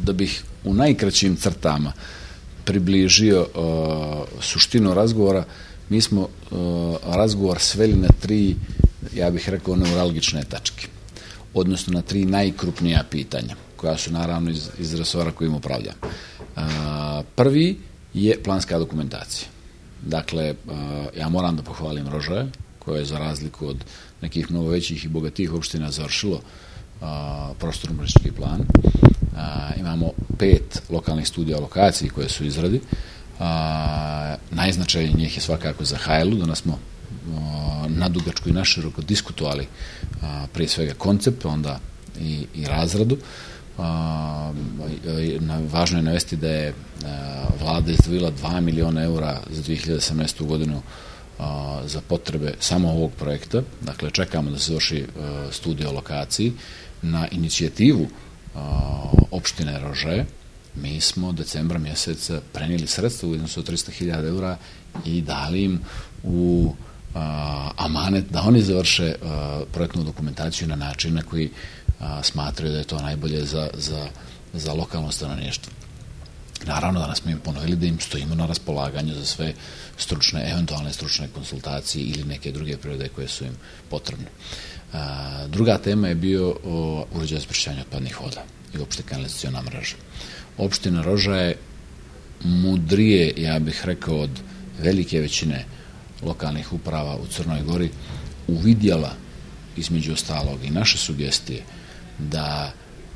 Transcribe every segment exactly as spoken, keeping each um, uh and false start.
da bih u najkraćim crtama približio uh, suštinu razgovora, mi smo uh, razgovor sveli na tri, ja bih rekao, neuralgične tačke, odnosno na tri najkrupnija pitanja, koja su naravno iz, iz resora kojim upravljam. Uh, prvi je planska dokumentacija. Dakle, uh, ja moram da pohvalim Rožaje, koje je za razliku od nekih mnogo većih i bogatih opština završilo uh, prostorno-urbanistički plan. Uh, imamo pet lokalnih studija lokaciji koje su u izradi. Uh, najznačajnije njih je svakako za Hajlu. Danas smo uh, nadugačko i naširoko diskutovali uh, prije svega koncept, onda i, i razradu. Uh, na, važno je navesti da je uh, vlada izdvojila dva miliona eura za dve hiljade osamnaestu godinu uh, za potrebe samo ovog projekta. Dakle, čekamo da se završi uh, studija o lokaciji. Na inicijativu uh, opštine Rožaje mi smo decembra mjeseca prenijeli sredstva u iznosu od trista hiljada eura i dali im u uh, amanet da oni završe uh, projektnu dokumentaciju na način na koji a, smatraju da je to najbolje za, za, za lokalno stanovništvo. Naravno, danas smo im ponovili da im stojimo na raspolaganju za sve stručne, eventualne stručne konsultacije ili neke druge prirode koje su im potrebne. A, druga tema je bio o uređaju za pročišćavanje otpadnih voda i opšte kanalizaciona mreža. Opština Rožaje je mudrije, ja bih rekao, od velike većine lokalnih uprava u Crnoj Gori uvidjela, između ostalog i naše sugestije, da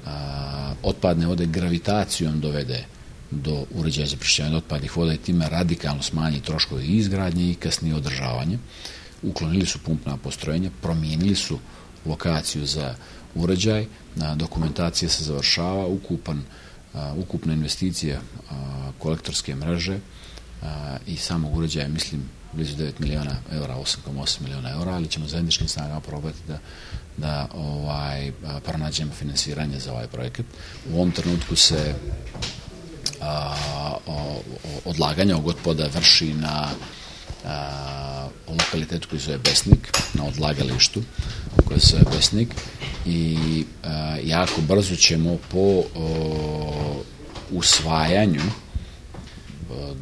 a, otpadne vode gravitacijom dovede do uređaja za pročišćavanje otpadnih voda i time radikalno smanji troškovi i izgradnje i kasnije održavanje. Uklonili su pumpna postrojenja, promijenili su lokaciju za uređaj, a, dokumentacija se završava, ukupan, a, ukupna investicija a, kolektorske mreže a, i samog uređaja, mislim, blizu devet miliona eura, osam zarez osam miliona eura, ali ćemo zajedničkim snagama probati da, da ovaj, pronađemo finansiranje za ovaj projekat. U ovom trenutku se a, o, odlaganje ovog otpada vrši na a, lokalitetu koji se zove Besnik, na odlagalištu koji se zove Besnik i a, jako brzo ćemo po o, usvajanju o,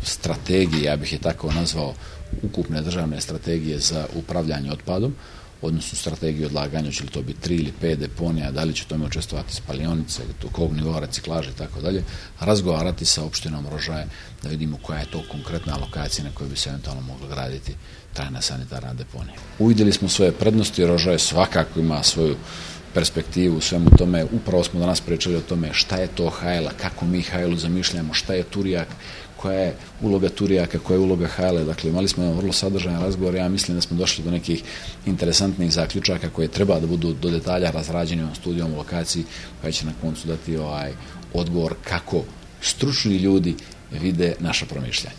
strategije, ja bih je tako nazvao, ukupne državne strategije za upravljanje otpadom, odnosno strategiju odlaganja, će li to biti tri ili pet deponija, da li će tome učestvovati spalionice, do kog nivoa reciklaže i tako dalje, razgovarati sa opštinom Rožaje da vidimo koja je to konkretna lokacija na kojoj bi se eventualno mogla graditi trajna sanitarna deponija. Uvidjeli smo svoje prednosti, Rožaje svakako ima svoju perspektivu u svemu tome. Upravo smo danas pričali o tome šta je to Hajla, kako mi Hajlu zamišljamo, šta je Turijak, koja je uloga Turijaka, koja je uloga Hajle. Dakle, imali smo jedan vrlo sadržajan razgovor. Ja mislim da smo došli do nekih interesantnih zaključaka koje treba da budu do detalja razrađeni ovom studijom u lokaciji, koja će na koncu dati ovaj odgovor kako stručni ljudi vide naša promišljanja.